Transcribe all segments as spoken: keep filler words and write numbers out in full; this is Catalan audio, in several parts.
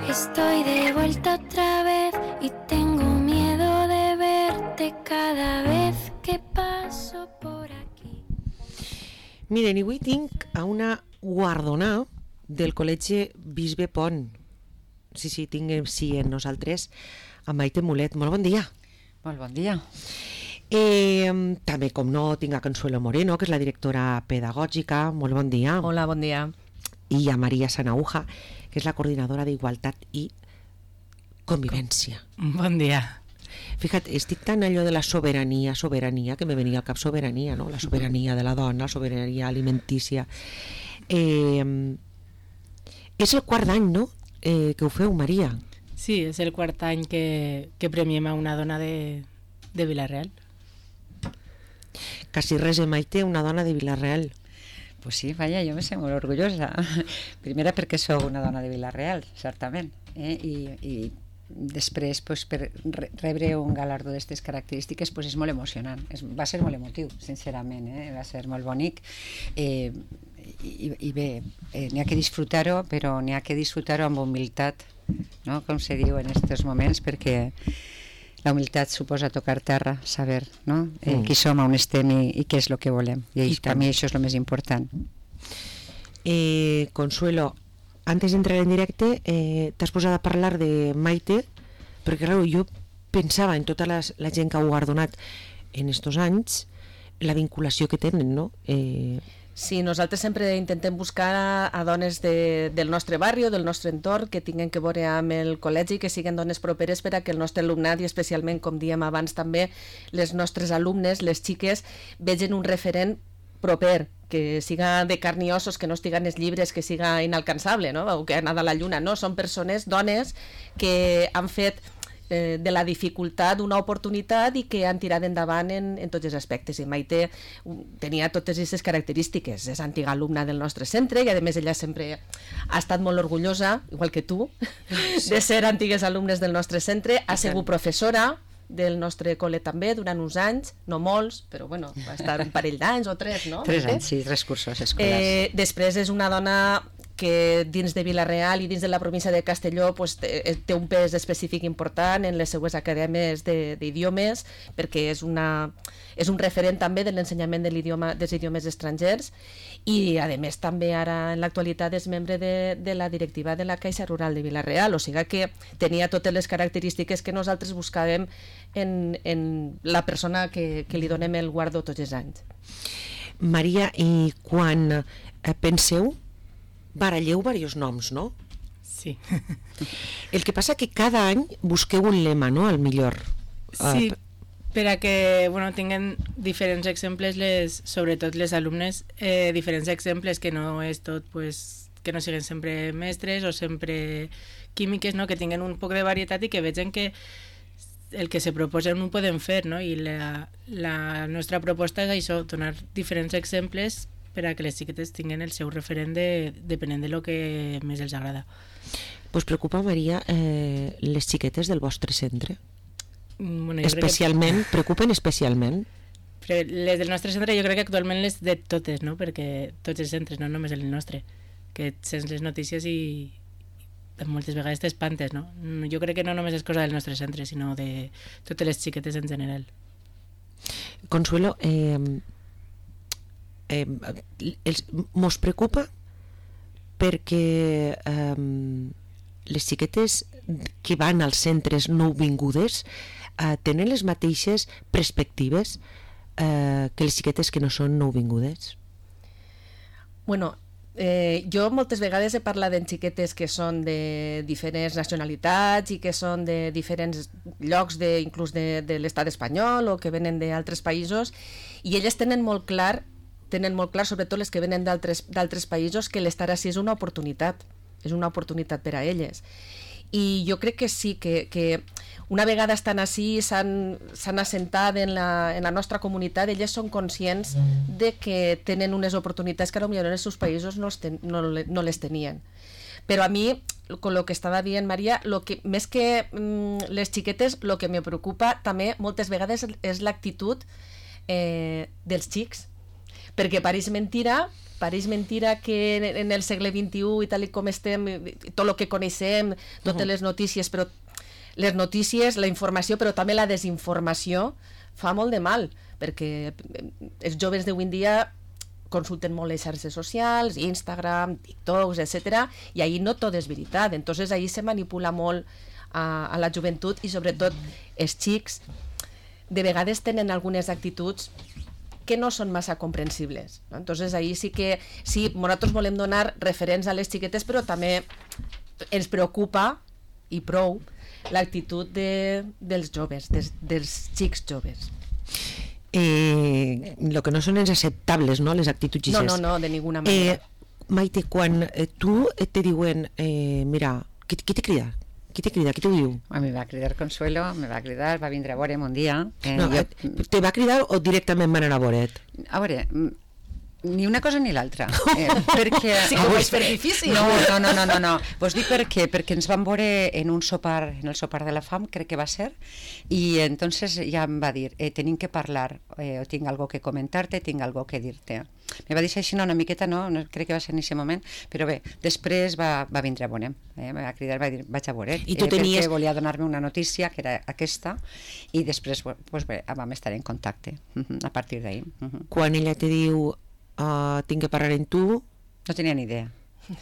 Estoy de vuelta otra vez y tengo miedo de verte cada vez que paso por aquí. Miren, avui tinc a una guardonada del Col·legi Bisbe Pont. Sí, sí, tinc sí en nosaltres a Maite Mulet. Molt bon dia. Molt bon dia. Eh, també, com no, tinc a Consuelo Moreno, que és la directora pedagògica. Molt bon dia. Hola, bon dia. I a Maria Sanauja, que és la coordinadora d'Igualtat i Convivència. Bon dia. Fíjate, estic tan allò de la sobirania, sobirania, que me venia al cap sobirania, no? La sobirania de la dona, la sobirania alimentícia. Eh, és el quart any, no?, eh, que ho feu, Maria. Sí, és el quart any que, que premiem a una dona de, de Vila-real. Quasi res, Maite, una dona de Vila-real. Pues sí, vaja, jo me sento molt orgullosa. Primera perquè sóc una dona de Vila-real, certament. Eh? I, I després, pues, per rebre un galardó d'aquestes característiques, pues, és molt emocionant. Es, va ser molt emotiu, sincerament. Eh? Va ser molt bonic. Eh, i, I bé, eh, n'hi ha que disfrutar-ho, però n'hi ha que disfrutar-ho amb humilitat, no? Com se diu en aquests moments, perquè la humilitat suposa tocar terra, saber, no? Eh, mm. qui som, on estem i, i què és el que volem. I, I per mi això és el més important. Eh, Consuelo, antes d'entrar en directe, eh, t'has posat a parlar de Maite, perquè clar, jo pensava en tota la, la gent que ha guardonat en estos anys, la vinculació que tenen, no? Eh, Sí, nosaltres sempre intentem buscar a, a dones de, del nostre barri o del nostre entorn que tinguin que veure amb el col·legi, que siguin dones properes per a que el nostre alumnat i especialment, com dèiem abans també, les nostres alumnes, les xiques, vegin un referent proper, que siga de carn i ossos, que no estigui en els llibres, que siga inalcançable, no? O que ha anat a la lluna, no? Són persones, dones, que han fet de la dificultat una oportunitat i que han tirat endavant en, en tots els aspectes. I Maite tenia totes aquestes característiques. És antiga alumna del nostre centre i a més ella sempre ha estat molt orgullosa, igual que tu, sí, de ser antigues alumnes del nostre centre. Ha sigut professora del nostre col·le també durant uns anys, no molts, però bueno, va estar un parell d'anys o tres, no? Tres anys, sí, tres cursos escolars. Eh, després és una dona que dins de Vila-real i dins de la província de Castelló pues, té, té un pes específic important en les seues acadèmies d'idiomes, perquè és, una, és un referent també de l'ensenyament de l'idioma, dels idiomes estrangers i a més també ara en l'actualitat és membre de, de la directiva de la Caixa Rural de Vila-real, o sigui que tenia totes les característiques que nosaltres buscàvem en, en la persona que, que li donem el guardó tots els anys. Maria, i quan eh, penseu baralleu diversos noms, no? Sí. El que passa que cada any busqueu un lema, no? Al millor. Sí, per a que bueno, tinguen diferents exemples, les, sobretot les alumnes, eh, diferents exemples que no és tot, pues, que no siguin sempre mestres o sempre químiques, no? Que tinguen un poc de varietat i que vegin que el que se proposen ho podem fer, no? I la, la nostra proposta és això, donar diferents exemples per a que les xiquetes tinguin el seu referent de, depenent de lo que més els agrada. Pues preocupa, Maria, eh, les xiquetes del vostre centre? Bueno, especialment, que... preocupen especialment? Però les del nostre centre jo crec que actualment les de totes, no? Perquè tots els centres, no només el nostre, que sents les notícies i moltes vegades t'espantes, no? Jo crec que no només és cosa del nostre centre, sinó de totes les xiquetes en general. Consuelo, eh, Eh, els, mos preocupa perquè eh, les xiquetes que van als centres nouvingudes eh, tenen les mateixes perspectives eh, que les xiquetes que no són nouvingudes. Bueno, eh, jo moltes vegades he parlat de xiquetes que són de diferents nacionalitats i que són de diferents llocs de, inclús de, de l'estat espanyol o que venen d'altres països i elles tenen molt clar tenen molt clar, sobretot les que venen d'altres països, que l'estar així és una oportunitat, és una oportunitat per a elles. I jo crec que sí, que, que una vegada estan així, s'han assentat en la, en la nostra comunitat, elles són conscients de que tenen unes oportunitats que potser en els seus països no, ten, no, no les tenien. Però a mi, con lo que estava dient Maria, lo que, més que mm, les xiquetes, el que me preocupa també moltes vegades és l'actitud eh, dels xics, perquè pareix mentira pareix mentira que en, en el segle vint-i-u i tal com estem, tot el que coneixem, totes les notícies, però les notícies, la informació, però també la desinformació, fa molt de mal, perquè els joves d'avui en dia consulten molt les xarxes socials, Instagram, TikToks, etcètera, i ahí no tot és veritat. Entonces ahí se manipula molt a, a la joventut i sobretot els xics de vegades tenen algunes actituds que no són massa comprensibles, no? Entonces ahí sí que sí, nosaltres volem donar referents a les xiquetes, però també ens preocupa i prou l'actitud de, dels joves, des, dels xics joves. Eh, lo que no són els acceptables, no? Les actituds no, no, no, de ninguna manera. Eh, Maite, quan eh, tu te diuen eh, mira, qui, qui te crida? Qui te crida? Qui t'ho diu? A mi va cridar Consuelo, me va cridar, va vindre a veure'm un dia. Eh, no, jo... Te va cridar o directament van anar a veure't? A veure, ni una cosa ni l'altra. Eh, perquè... Sí que ho és fer difícil. No, no, no, no, no, no. Vos dic per què? Perquè ens vam veure en un sopar, en el sopar de la fam, crec que va ser, i entonces ja em va dir, eh, tenim que parlar, eh, o tinc algo que comentar-te, tinc algo que dir-te. Me va dir així una miqueta, no, no crec que va ser en aquest moment, però bé, després va, va vindre a veure'm, eh, va cridar, va dir, vaig a veure't, I tu eh, tenies... perquè volia donar-me una notícia, que era aquesta, i després pues, bé, vam estar en contacte, uh-huh, a partir d'ahir. Uh-huh. Quan ella te diu uh, tinc que parlar amb tu... No tenia ni idea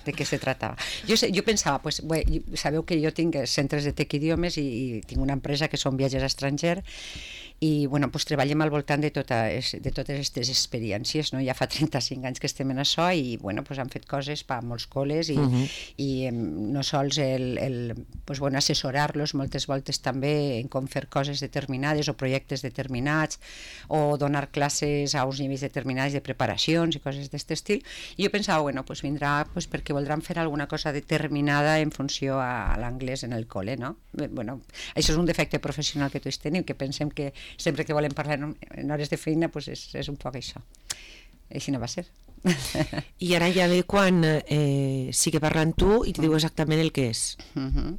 de què se tratava. Jo, sé, jo pensava, pues, bé, sabeu que jo tinc centres de Tec Idiomes i, i tinc una empresa que són viatges a estranger i bueno, pues, treballem al voltant de, tota, de totes aquestes experiències, no? Ja fa trenta-cinc anys que estem en això i bueno, pues, han fet coses per molts col·les i, uh-huh. i no sols el, el pues, bueno, assessorar-los moltes voltes també en com fer coses determinades o projectes determinats o donar classes a uns nivells determinats de preparacions i coses d'aquest estil, i jo pensava, bueno, pues, vindrà pues, perquè voldran fer alguna cosa determinada en funció a l'anglès en el col·le, no? Bueno, això és un defecte professional que tots tenim, que pensem que sempre que volem parlar en hores de feina pues és, és un poc això. Així no va ser. I ara ja ve quan eh, sigue parlant tu i te diu exactament el que és. Uh-huh.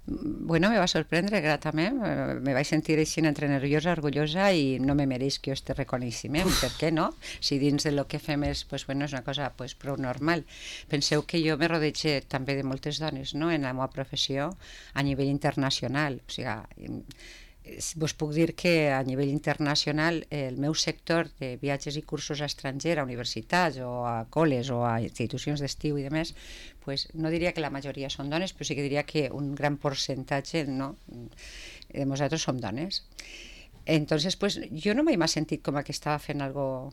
Bueno, me va sorprendre gratament, me vaig sentir així entre nerviosa, orgullosa i no me mereix que jo este reconeixement, per què no? Si dins de lo que fem és, pues, bueno, és una cosa pues, prou normal. Penseu que jo me rodege també de moltes dones, no?, en la meva professió a nivell internacional, o sigui, vos puc dir que a nivell internacional el meu sector de viatges i cursos a estranger, a universitats o a col·les o a institucions d'estiu i demés, pues, no diria que la majoria són dones, però sí que diria que un gran percentatge, no, de nosaltres som dones. Entonces, pues, jo no m'he sentit com que estava fent algo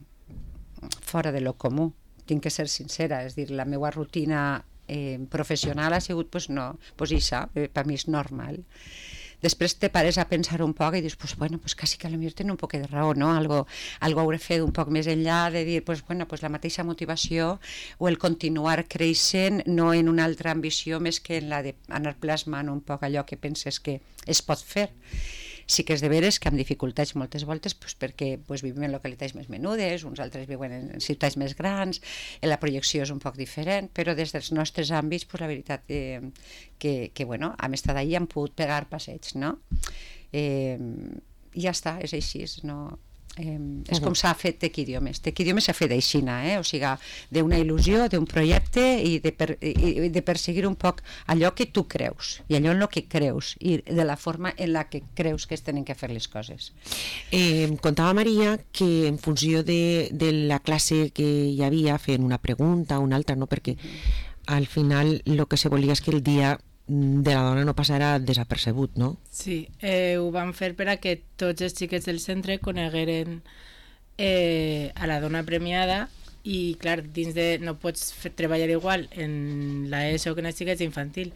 fora de lo comú, tinc que ser sincera, és dir, la meva rutina eh, professional ha sigut, pues no, pues això, eh, per mi és normal. Després te pares a pensar un poc i dius, pues bueno, pues quasi que a lo millor tenen un poc de raó, no? Algo, algo hauré fet un poc més enllà de dir, pues bueno, pues la mateixa motivació o el continuar creixent, no en una altra ambició més que en la d'anar plasmant un poc allò que penses que es pot fer. Sí que és de veres que amb dificultats moltes voltes, pues, perquè pues, vivim en localitats més menudes, uns altres viuen en ciutats més grans, la projecció és un poc diferent, però des dels nostres àmbits, pues, la veritat eh, que, que bueno, hem estat allà i hem pogut pegar passeigs, no? Eh, I ja està, és així, no? Eh, és com s'ha fet Tec Idiomes. Tec Idiomes s'ha fet aixina, eh? O sigui, d'una il·lusió, d'un projecte i de, per, i de perseguir un poc allò que tu creus i allò en el que creus i de la forma en la que creus que es tenen que fer les coses. Eh, contava Maria que en funció de, de la classe que hi havia, fent una pregunta o una altra, no? Perquè al final el que se volia és que el dia de la dona no passarà desapercebut, no? Sí, eh, ho vam fer per a que tots els xiquets del centre conegueren eh, a la dona premiada i, clar, dins de... no pots fer, treballar igual en l'ESO que en els xiquets infantil.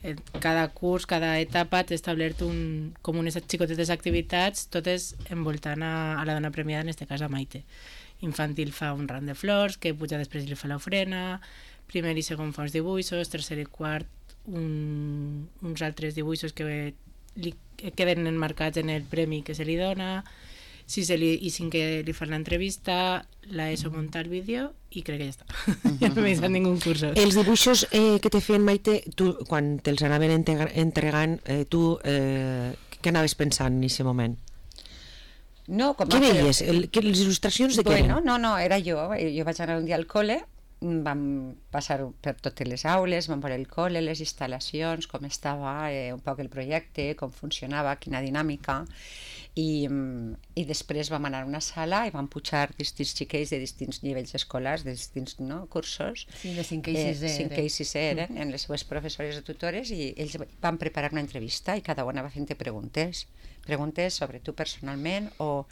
En cada curs, cada etapa t'ha establert un, com unes xicotetes activitats, totes envoltant a, a la dona premiada, en aquest cas a Maite. Infantil fa un ram de flors, que puja després i li fa l'ofrena, primer i segon fa uns dibuixos, tercer i quart Un, uns altres dibuixos que li queden enmarcats en el premi que se li dona, si se li, i cinquè li fan l'entrevista, l'ESO munta el vídeo i crec que ja està. Ja no m'he deixat ningú curso. Els dibuixos eh, que te feien, Maite, tu, quan te'ls anaven entregant, eh, tu eh, què anaves pensant en aquest moment? No, com Què a- veies? El, que, les il·lustracions de què Bueno, eren? no, no, era jo. Jo vaig anar un dia al col·le, vam passar per totes les aules, vam veure el col·le, les instal·lacions, com estava eh, un poc el projecte, com funcionava, quina dinàmica, i, i després vam anar a una sala i vam pujar distints xiquets de distints nivells escolars, de distints no, cursos. Sí, de cinquè i sisè Eh, cinquè eren. i sisè eren, en les seues professores o tutores, i ells van preparar una entrevista i cada una va fent preguntes, preguntes sobre tu personalment o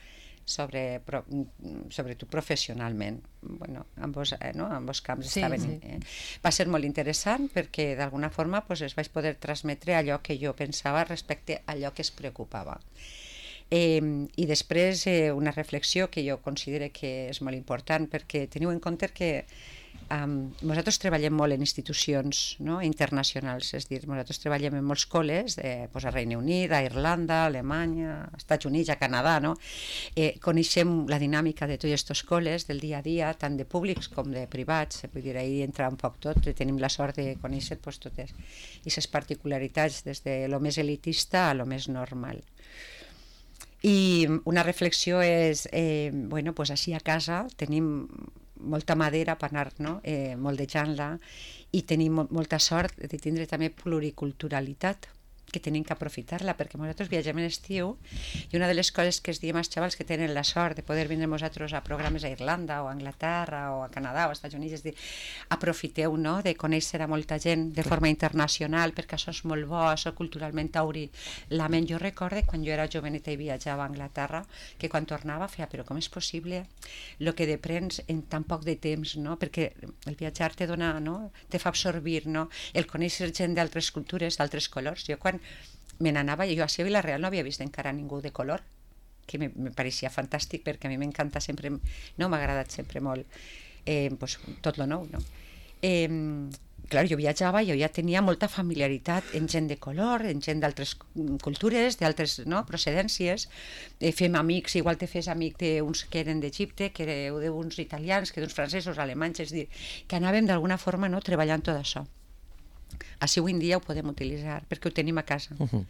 sobre, pro, sobre tu professionalment. Bueno, ambos, eh, no? ambos camps Sí, estaven... sí. Eh? Va ser molt interessant perquè d'alguna forma pues, es vaig poder transmetre allò que jo pensava respecte a allò que es preocupava. Eh, I després eh, una reflexió que jo considero que és molt important, perquè teniu en compte que um, nosaltres treballem molt en institucions no? internacionals, és a dir, nosaltres treballem en molts col·les, eh, pues a Regne Unit, a Irlanda, a Alemanya, als Estats Units, a Canadà, no? eh, coneixem la dinàmica de tots aquests col·les del dia a dia, tant de públics com de privats, vull dir, ahir entra un poc tot, tenim la sort de conèixer pues, totes aquestes particularitats, des de lo més elitista a lo més normal. I una reflexió és, eh, bueno, pues així a casa tenim molta madera per anar no? eh, moldejant-la i tenim mo molta sort de tindre també pluriculturalitat, que tenim que aprofitar-la, perquè nosaltres viatgem en estiu i una de les coses que es diem als xavals que tenen la sort de poder vindre nosaltres a programes a Irlanda o a Anglaterra o a Canadà o als Estats Units, és dir, aprofiteu no? de conèixer a molta gent de forma internacional, perquè això és molt bo, això culturalment t'obri la ment. Jo recorde quan jo era joveneta i viatjava a Anglaterra, que quan tornava feia, però com és possible el que deprens en tan poc de temps, no? Perquè el viatjar te dona, no? te fa absorbir, no? El conèixer gent d'altres cultures, d'altres colors. Jo quan me n'anava, jo a Vilareal no havia vist encara ningú de color, que me, me pareixia fantàstic, perquè a mi m'encanta sempre, no m'ha agradat sempre molt eh, pues, tot lo nou, no? Eh, clar, jo viatjava i jo ja tenia molta familiaritat en gent de color, en gent d'altres cultures, d'altres no, procedències, eh, fem amics, igual te fes amic d'uns que eren d'Egipte, que d'uns italians, que d'uns francesos, alemanys, és dir, que anàvem d'alguna forma no, treballant tot això. Així avui en dia ho podem utilitzar, perquè ho tenim a casa. Uh -huh.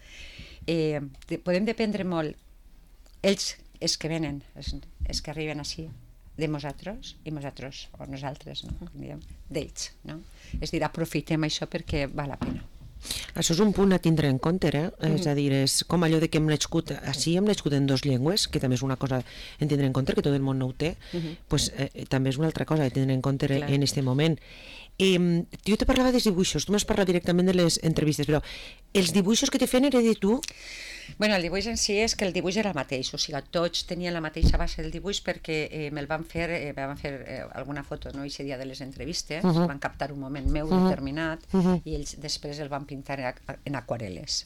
eh, de, podem dependre molt, ells, els que venen, els, els que arriben així, de nosaltres, i nosaltres, o nosaltres, no? Com diem, d'ells. No? És dir, aprofitem això perquè val la pena. Això és un punt a tindre en compte, eh? Mm. És a dir, és com allò de que hem nascut, així hem nascut en dues llengües, que també és una cosa a tindre en compte, que tot el món no ho té, mm -hmm. pues, eh, també és una altra cosa a tindre en compte Clar. en aquest moment. Eh, jo te parlava dels dibuixos, tu m'has parlat directament de les entrevistes, però els dibuixos que te feien era de tu? Bueno, el dibuix en si és que el dibuix era el mateix, o sigui, tots tenien la mateixa base del dibuix perquè eh, me'l van fer, eh, me van fer eh, alguna foto, no?, aquest dia de les entrevistes, uh -huh. van captar un moment meu uh -huh. determinat uh -huh. i ells després el van pintar en aquarel·les.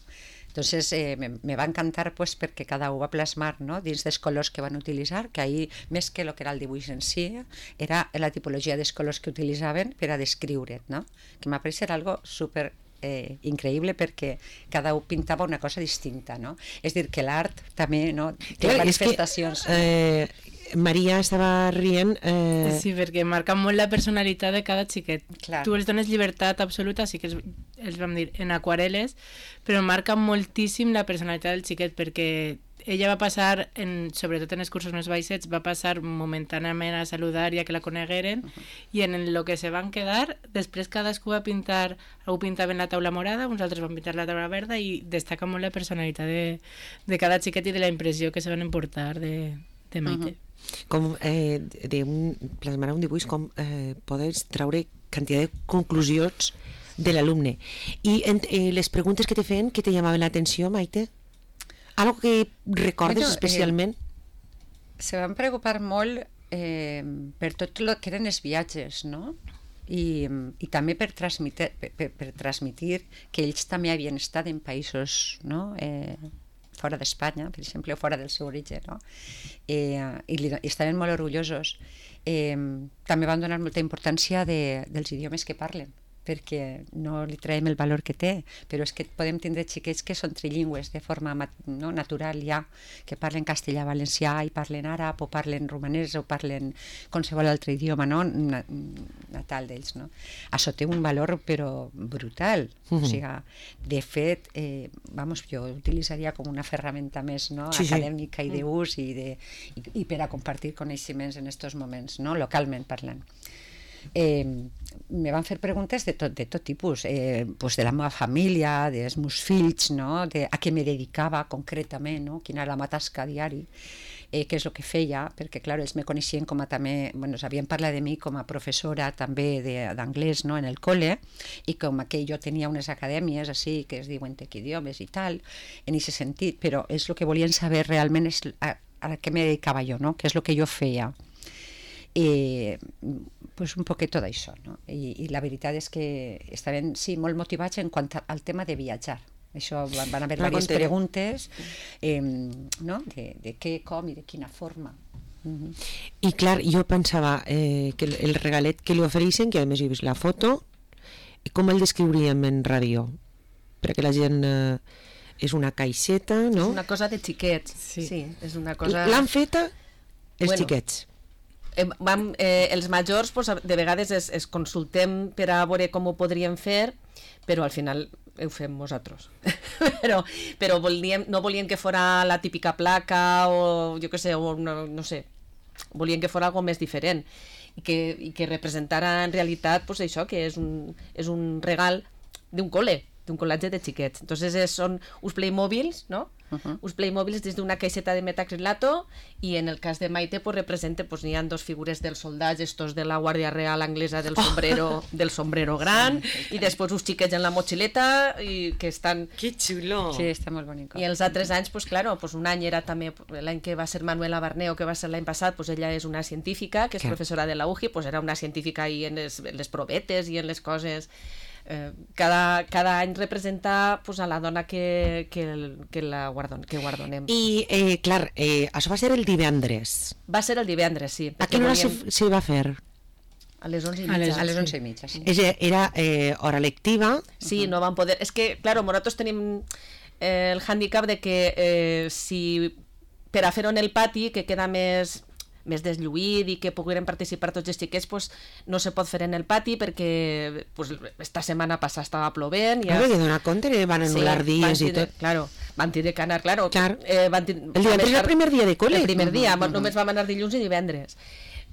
Entonces eh, me, me va encantar pues, perquè cada un va plasmar no? dins dels colors que van utilitzar, que ahir, més que el que era el dibuix en si, era la tipologia dels colors que utilitzaven per a descriure't, no? Que m'ha pareixer algo super eh, increïble perquè cada un pintava una cosa distinta, no? És dir, que l'art també no? té Clar, manifestacions. És que, eh, Maria estava rient... Eh... Sí, perquè marca molt la personalitat de cada xiquet. Clar. Tu els dones llibertat absoluta, sí que els, els vam dir en aquarel·les, però marca moltíssim la personalitat del xiquet, perquè ella va passar, en, sobretot en els cursos més baixets, va passar momentàniament a saludar i a que la conegueren, uh -huh. i en el que se van quedar, després cadascú va pintar, algú pintava en la taula morada, uns altres van pintar la taula verda, i destaca molt la personalitat de, de cada xiquet i de la impressió que se van emportar de, de Maite. Uh -huh. Com eh, de un, plasmar un dibuix, com eh, podes treure quantitat de conclusions de l'alumne. I en, eh, les preguntes que te feien, que te llamaven l'atenció, Maite? Algo que recordes bueno, especialment? Eh, se van preocupar molt eh, per tot el que eren els viatges, no? I, i també per transmitir, per, per, per transmitir que ells també havien estat en països, no?, eh, fora d'Espanya, per exemple, o fora del seu origen, no? Eh, i, li, i estaven molt orgullosos. Eh, també van donar molta importància de, dels idiomes que parlen, perquè no li traiem el valor que té, però és que podem tindre xiquets que són trilingües de forma no, natural ja, que parlen castellà, valencià i parlen àrab o parlen romanès o parlen qualsevol altre idioma no? natal d'ells. No? Això té un valor però brutal. Uh-huh. O sigui, de fet, eh, vamos, jo utilitzaria com una ferramenta més no? sí, acadèmica sí. i d'ús i, de, i, i per a compartir coneixements en aquests moments, no? Localment parlant. Eh, me van fer preguntes de tot, de tot tipus, eh, pues de la meva família, dels meus fills, no? De a què me dedicava concretament, no? Quina era la meva tasca diari, eh, què és el que feia, perquè clar, ells me coneixien com a també, bueno, sabien parlar de mi com a professora també d'anglès no? En el col·le, i com que jo tenia unes acadèmies així que es diuen tec idiomes i tal, en aquest sentit, però és el que volien saber realment és a, a què me dedicava jo, no? Què és el que jo feia. I pues un poquet tot això, no? I, i la veritat és que estaven sí, molt motivats en quant al tema de viatjar. Això van, van haver diverses preguntes eh, no? de, de què, com i de quina forma. Uh-huh. I clar, jo pensava eh, que el, el regalet que li ofereixen, que a més he vist la foto, com el descriuríem en ràdio? Perquè la gent eh, és una caixeta, no? És una cosa de xiquets, sí. sí és una cosa... L'han feta els bueno. xiquets. Eh, vam, eh, els majors pues, de vegades es, es consultem per a veure com ho podríem fer, però al final ho fem nosaltres. però però volíem, no volíem que fora la típica placa o jo què sé, o no, no sé, volíem que fora algo més diferent i que, i que representara en realitat pues, això, que és un, és un regal d'un col·le, d'un col·latge de xiquets. Entonces es, són uns Playmobils, no? Uh-huh. Uns Playmobils des d'una caixeta de metacrilato i en el cas de Maite pues, representa, pues, n'hi ha dos figures dels soldats, estos de la Guàrdia Real anglesa del sombrero, oh. del sombrero gran sí, i després uns xiquets en la motxileta i que estan... Que xulo! Sí, està molt bonic. I els altres anys, pues, claro, pues, un any era també, l'any que va ser Manuela Barneo, que va ser l'any passat, pues, ella és una científica, que és Clar. professora de la U J I, pues, era una científica i en les, en les provetes i en les coses... Eh, cada, cada any representa pues, a la dona que, que, que la guardon, que guardonem. I, eh, clar, eh, això va ser el divendres. Va ser el divendres, sí. A quina hora volíem... se, se va fer? A les onze i mitja. A les, a les onze i mitja, sí. És, era eh, hora lectiva. Sí, uh-huh. no van poder... És que, claro, nosaltres tenim eh, el hàndicap de que eh, si per a fer-ho en el pati, que queda més... més deslluït i que pogueren participar tots els xiquets, pues, no se pot fer en el pati perquè pues, esta setmana passada estava plovent. Ja... Claro, que donar compte, van anul·lar sí, dies i tot. Claro, van tindre que anar, claro. Clar. Eh, van tindre, el divendres era el primer dia de col·le. El primer dia, uh -huh. només vam anar dilluns i divendres.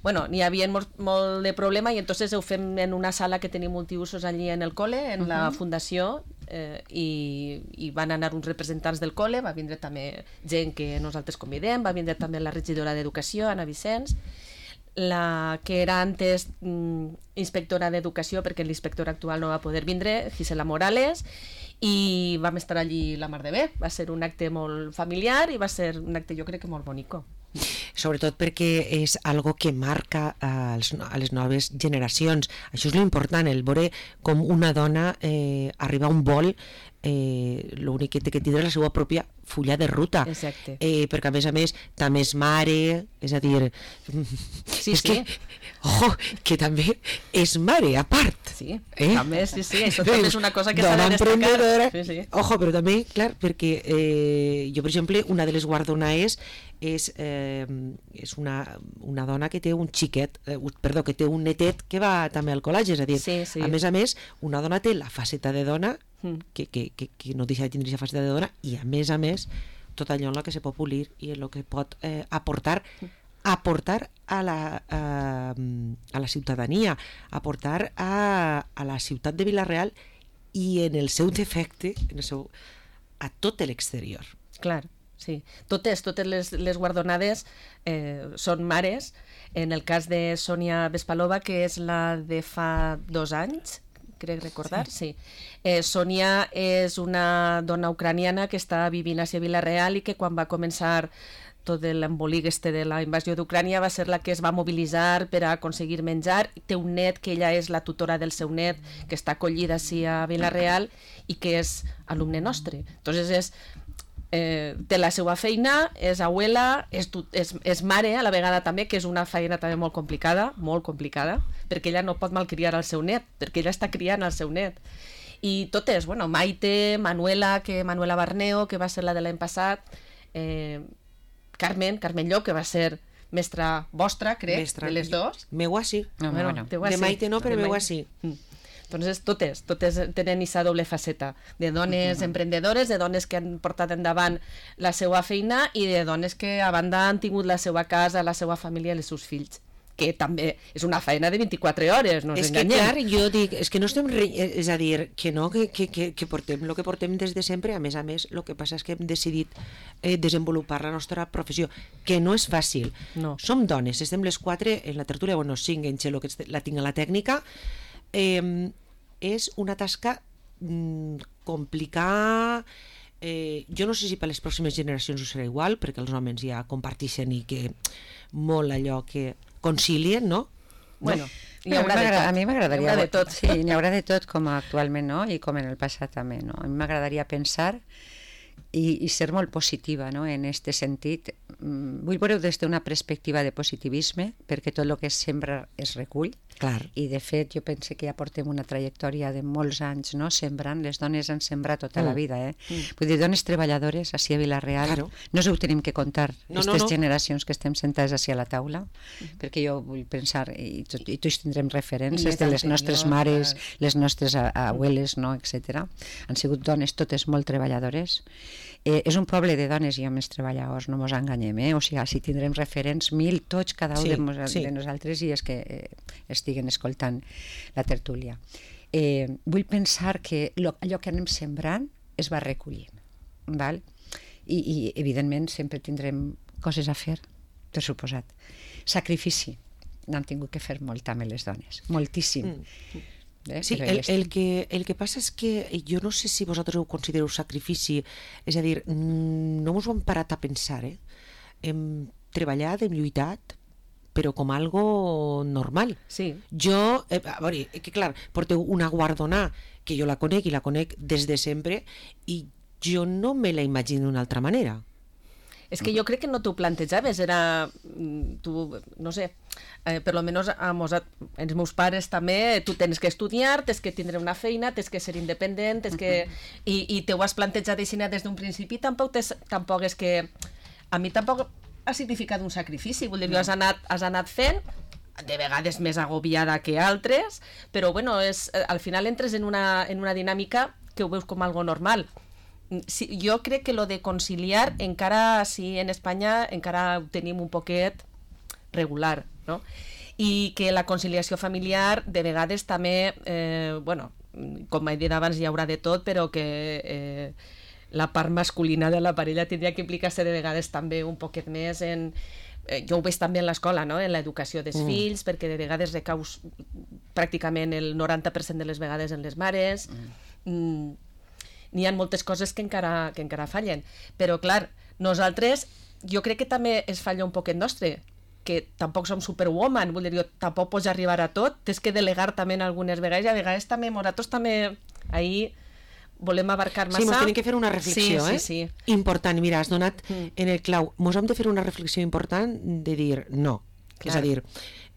Bueno, n'hi havia molt, molt de problema i entonces ho fem en una sala que tenim multiusos allí en el col·le, en uh -huh. la fundació, eh, i, i van anar uns representants del col·le, va vindre també gent que nosaltres convidem, va vindre també la regidora d'Educació, Anna Vicenç, la que era antes mm, inspectora d'Educació, perquè l'inspector actual no va poder vindre, Gisela Morales, i vam estar allí la mar de bé. Va ser un acte molt familiar i va ser un acte jo crec que molt bonico. Sobretot perquè és algo que marca a les noves generacions. Això és l'important, el veure com una dona eh, arriba a un vol, eh, l'únic que té que tindre és la seva pròpia fulla de ruta. Exacte. Eh, perquè a més a més també és mare, és a dir... Sí, és sí. que, ojo, que també és mare a part. Sí, eh? també, sí, sí, això també és una cosa que s'ha de destacar. Sí, sí. Ojo, però també, clar, perquè eh, jo, per exemple, una de les guardonaes és, eh, és una, una dona que té un xiquet, eh, perdó, que té un netet que va també al col·legi, és a dir, sí, sí. a més a més, una dona té la faceta de dona, mm. que, que, que, que no deixa de tindre aquesta faceta de dona, i a més a més, tot allò en la que se pot polir i en el que pot eh, aportar aportar a la, a, a la ciutadania, aportar a, a la ciutat de Vila-real i en el seu defecte, en el seu, a tot l'exterior. Clar. Sí, totes, totes les, les guardonades eh, són mares. En el cas de Sònia Vespalova, que és la de fa dos anys, crec recordar, sí. sí. Eh, Sònia és una dona ucraniana que està vivint a Vila-real i que quan va començar tot l'embolic este de la invasió d'Ucrània va ser la que es va mobilitzar per a aconseguir menjar. Té un net que ella és la tutora del seu net, que està acollida així a Vila-real i que és alumne nostre. Entonces és eh, té la seva feina, és abuela, és, tu, és, és mare a la vegada també, que és una feina també molt complicada, molt complicada, perquè ella no pot malcriar el seu net, perquè ella està criant el seu net. I totes, bueno, Maite, Manuela, que Manuela Barneo, que va ser la de l'any passat, eh, Carmen, Carmen Llop, que va ser mestra vostra, crec, mestra. De les dos. Meua sí. No, bueno, bueno. teua De sí. Maite no, però De meua Maite. sí. Mm. Entonces, totes, totes tenen aquesta doble faceta, de dones emprendedores, de dones que han portat endavant la seva feina i de dones que a banda han tingut la seva casa, la seva família i els seus fills, que també és una feina de vint-i-quatre hores, no ens És que enganyem. clar, jo dic, és que no estem, re... és a dir, que no, que, que, que, que portem el que portem des de sempre, a més a més, el que passa és que hem decidit eh, desenvolupar la nostra professió, que no és fàcil. No. Som dones, estem les quatre en la tertúlia, bueno, cinc en Xelo, que la tinc a la tècnica, eh, és una tasca mm, complicada. Eh, jo no sé si per les pròximes generacions ho serà igual, perquè els homes ja comparteixen i que molt allò que concilien, no? Bueno, Hi haurà de tot. A mi m'agradaria... Hi haurà de tot. Sí, n'hi haurà de tot, com actualment, no? I com en el passat també, no? A mi m'agradaria pensar i, i ser molt positiva, no? En aquest sentit. Vull veure des d'una perspectiva de positivisme, perquè tot el que es sembra es recull. Clar. I de fet jo penso que ja portem una trajectòria de molts anys, no? Sembrant, les dones han sembrat tota Mm. la vida, eh? Mm. Vull dir, dones treballadores així a Vila-real, Claro. no us ho tenim que contar, No, aquestes no, no. generacions que estem sentades així a la taula, perquè jo vull pensar, i, tot, i tots tindrem referències I les de les nostres anteriors, mares, clar. les nostres a- abueles, no? etcètera. Han sigut dones totes molt treballadores. Eh, és un poble de dones i homes treballadors, no mos enganyem, eh? O sigui, si tindrem referents mil, tots, cada un Sí, de, mos, sí. de nosaltres, i és que eh, estiguen escoltant la tertúlia. Eh, vull pensar que lo, allò que anem sembrant es va recollint, val? I, i evidentment sempre tindrem coses a fer, per suposat. Sacrifici, n'han tingut que fer molt també les dones, moltíssim. Mm. Eh? Sí, Però el, les- el, que, el que passa és que jo no sé si vosaltres ho considereu sacrifici, és a dir, mm, no us ho hem parat a pensar, eh? Hem treballat, hem lluitat, però com algo normal. Sí. Jo, eh, a veure, eh, que clar, porteu una guardonà que jo la conec i la conec des de sempre i jo no me la imagino d'una altra manera. És que jo crec que no t'ho plantejaves, era, mm, tu, no sé, eh, per lo menos a mos, a, els meus pares també, tu tens que estudiar, tens que tindre una feina, tens que ser independent, tens que... I, i te ho has plantejat així des d'un principi, tampoc, tes, tampoc és que... A mi tampoc ha significat un sacrifici, vull dir, no. has, anat, has anat fent, de vegades més agobiada que altres, però bueno, és, al final entres en una, en una dinàmica que ho veus com algo normal. Sí, jo crec que lo de conciliar encara, sí, en Espanya encara ho tenim un poquet regular, no? I que la conciliació familiar de vegades també, eh, bueno, com he dit abans hi haurà de tot, però que eh, la part masculina de la parella tindria que implicar-se de vegades també un poquet més en... Eh, jo ho veig també en l'escola, no? En l'educació dels mm. fills, perquè de vegades recaus pràcticament el noranta per cent de les vegades en les mares. Mm. Mm. N'hi ha moltes coses que encara, que encara fallen, però clar, nosaltres jo crec que també es falla un poquet nostre, que tampoc som superwoman, vull dir, jo tampoc pots arribar a tot, tens que delegar també en algunes vegades, i a vegades també, nosaltres també ahí volem abarcar massa. Sí, mos tenim que fer una reflexió, sí, eh? Sí, sí. Important, mira, has donat Mm. en el clau. Mos hem de fer una reflexió important de dir no. Clar. És a dir,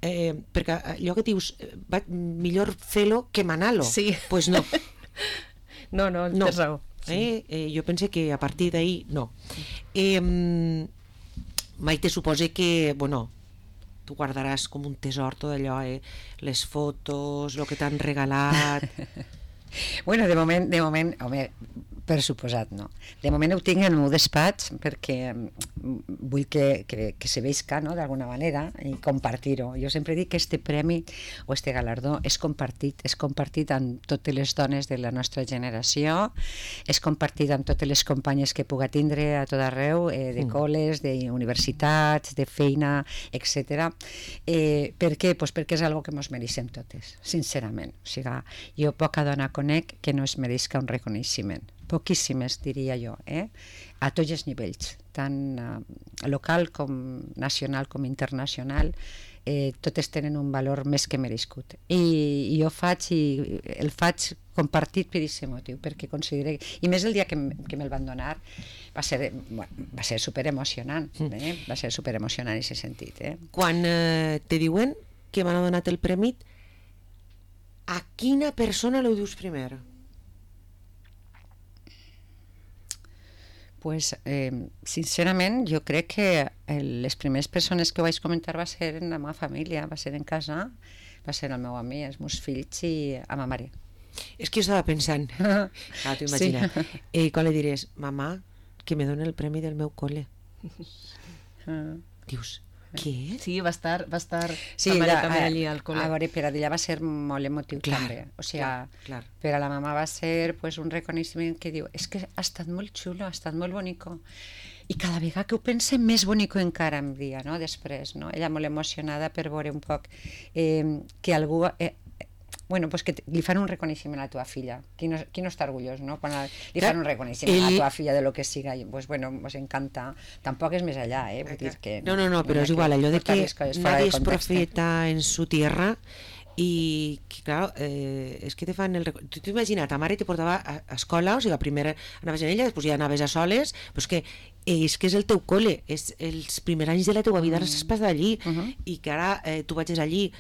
eh, perquè allò que dius, eh, va, millor fer-lo que manar-lo. Sí. Pues no. No, no, No. tens raó. Sí. Eh? Eh, jo pense que a partir d'ahí no. Eh, Maite, supose que, bueno, tu guardaràs com un tesor tot allò, eh? Les fotos, el que t'han regalat... Bueno, de moment, de moment, home, per suposat, no. De moment ho tinc en el meu despatx perquè mm, vull que, que, que se veisca, no?, d'alguna manera, i compartir-ho. Jo sempre dic que este premi o este galardó és compartit, és compartit amb totes les dones de la nostra generació, és compartit amb totes les companyes que puga tindre a tot arreu, eh, de col·les, d'universitats, de feina, etcètera. Eh, per què? Pues perquè és algo que mos mereixem totes, sincerament. O sigui, jo poca dona conec que no es mereixca un reconeixement. Poquíssimes, diria jo, eh? A tots els nivells, tant uh, local com nacional com internacional. eh, totes tenen un valor més que merescut. I, i jo faig, i el faig compartit per aquest motiu, perquè considero... I més el dia que, que me'l van donar va ser, bueno, va ser superemocionant, eh? Va ser superemocionant en aquest sentit. Eh? Quan eh, te diuen que m'han donat el premi, a quina persona ho dius primer? Pues, eh, sincerament, jo crec que les primeres persones que ho vaig comentar va ser en la meva família, va ser en casa, va ser el meu amic, els meus fills i a ma mare. És que jo estava pensant, clar, t'ho imagina, sí. eh, quan li diràs, mamà, que me dona el premi del meu col·le. Dius, què? Sí, va estar, va estar sí, la mare la, també allí al col·le. A veure, per a ella va ser molt emotiu clar, també. O sigui, clar, clar. Per a la mama va ser pues, un reconeixement que diu, és que ha estat molt xulo, ha estat molt bonico. I cada vegada que ho pense, més bonico encara em dia, no? Després, no? Ella molt emocionada per veure un poc eh, que algú... Eh, bueno, pues que li fan un reconeixement a la teva filla. Qui no, qui no està orgullós, no? Quan li fan un reconeixement el... a la teva filla de lo que siga, i, pues bueno, us encanta. Tampoc és més allà, eh? Vull dir que... No, no, no, però és igual, allò de que nadie es profeta en su tierra i, que, clar, eh, és que te fan el... Tu t'imagina, ta mare te portava a, a escola, o sigui, primer anaves en ella, després ja anaves a soles, però és que és que és el teu col·le, és els primers anys de la teva vida mm. has passat allí, uh -huh. i que ara eh, tu vagis allí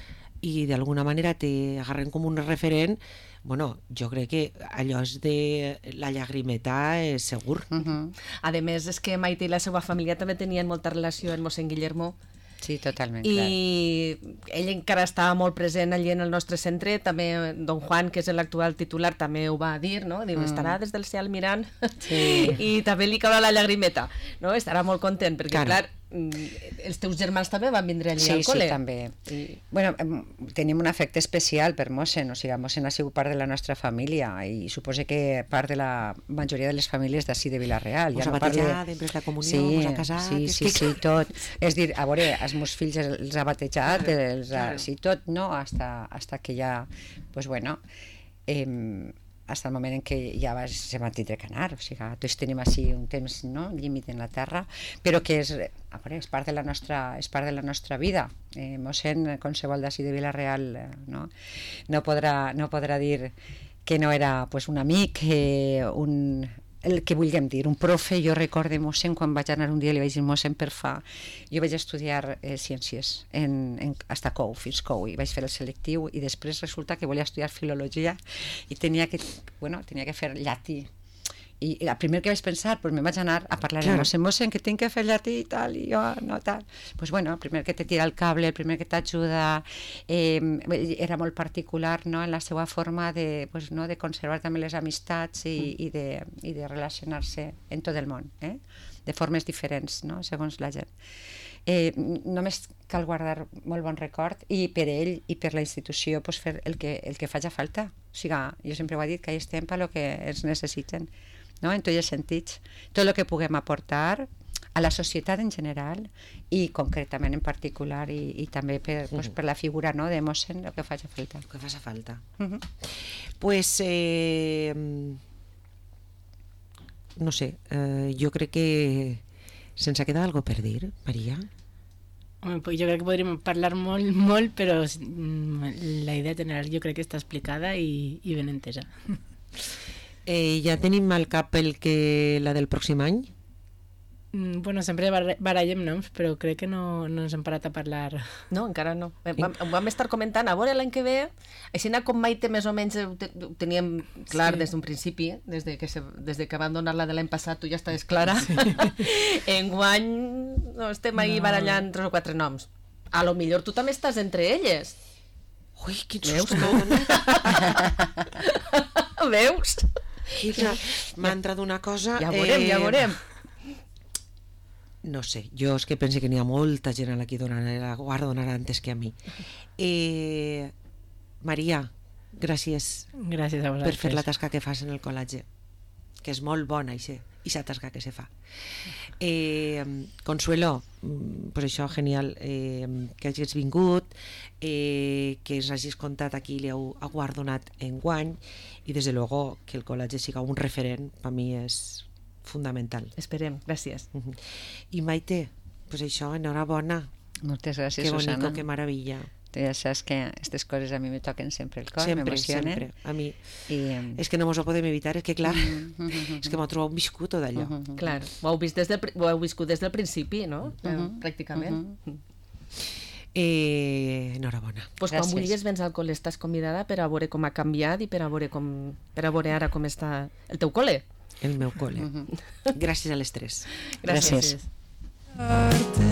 i d'alguna manera te agarren com un referent, bueno, jo crec que allò és de la llagrimeta és segur. Uh -huh. A més, és que Maite i la seva família també tenien molta relació amb mossèn Guillermo. Sí, totalment, i clar. Ell encara estava molt present allí en el nostre centre, també don Juan, que és l'actual titular, també ho va dir, no? Diu, mm. estarà des del cel mirant sí. i també li caurà la llagrimeta, no? Estarà molt content, perquè clar, clar els teus germans també van vindre allí sí, al col·le. Sí, també. I... Bueno, tenim un afecte especial per mossèn, o sigui, mossèn ha sigut part de la nostra família i suposo que part de la majoria de les famílies d'ací de Vila-real. Us ja ha no batejat, parle... després la comunió, sí, us ha casat... Sí, sí, que... sí, tot. És dir, a veure, els meus fills els ha batejat, claro, els ha... Claro. Sí, tot, no? Hasta, hasta que ja, pues bueno... Eh, fins al moment en què ja vas, se van tindre que anar, o sigui, tots tenim així un temps, no?, límit en la terra, però que és, a veure, és part de la nostra, és part de la nostra vida. Eh, mossèn, qualsevol d'ací de Vila-real, no? No podrà, no podrà dir que no era pues, un amic, eh, un... el que vulguem dir, un profe. Jo recorde mossèn, quan vaig anar un dia li vaig dir, mossèn, per fa, jo vaig estudiar eh, ciències en, en, hasta Cou, fins Cou, i vaig fer el selectiu i després resulta que volia estudiar filologia i tenia que, bueno, tenia que fer llatí. I el primer que vaig pensar, pues me vaig anar a parlar amb mossèn, mossèn, que tinc que fer llatí i tal, i jo no tal. Pues bueno, el primer que te tira el cable, el primer que t'ajuda, eh, era molt particular, no?, en la seva forma de, pues, no, de conservar també les amistats i, i, de, i de relacionar-se en tot el món, eh? De formes diferents, no?, segons la gent. Eh, només cal guardar molt bon record i per ell i per la institució pues, fer el que, el que faci falta. O sigui, jo sempre ho he dit, que hi estem per lo que ens necessiten, no? En tots els sentits. Tot el que puguem aportar a la societat en general i concretament en particular i, i també per, pues, per la figura, no?, de mossèn, el que faci falta. El que faci falta. Uh -huh. Pues, eh, no sé, eh, jo crec que se'ns ha quedat alguna cosa per dir, Maria? Home, pues jo crec que podríem parlar molt, molt, però la idea general jo crec que està explicada i, i ben entesa. Eh, ja tenim al cap el que la del pròxim any? Mm, bueno, sempre barallem noms, però crec que no, no ens hem parat a parlar. No, encara no. Vam, vam estar comentant, a veure l'any que ve, així com Maite més o menys ho, te, ho teníem clar sí. des d'un principi, des de, que se, des de que van donar la de l'any passat, tu ja estaves clara. Sí. Enguany no, estem ahí no. barallant tres o quatre noms. A lo millor tu també estàs entre elles. Ui, quin susto. Veus? M'ha entrat una cosa... Ja veurem, eh... ja veurem. No sé, jo és que penso que n'hi ha molta gent a la que donarà, guardonarà antes que a mi. Eh, Maria, gràcies, gràcies a vosaltres per fer la tasca que fas en el col·legi, que és molt bona, i aquesta tasca que se fa. Eh, Consuelo, pues això, genial, eh, que hagis vingut, eh, que ens hagis contat aquí li heu guardonat enguany, i des de luego que el col·legi siga un referent, per mi és fundamental. Esperem, gràcies. Uh-huh. I Maite, pues això, enhorabona. Moltes gràcies, Qué bonito, Susana. qué maravilla. Tu ja saps que aquestes coses a mi me toquen sempre el cor, Sempre, m'emocionen. sempre. A mi... I, um, És que no mos ho podem evitar, és que clar, mm, mm, mm, és que m'ho trobo viscut tot allò. mm, mm, Clar, ho heu, vist des del, pri- ho heu viscut des del principi, no? Eh, Mhm. Pràcticament. Mhm. Eh, enhorabona. Pues quan Gràcies. vulguis vens al col·le estàs convidada per a veure com ha canviat i per a veure, com, per a veure ara com està el teu col·le. El meu col·le. Gràcies a les tres. Gràcies. Gràcies.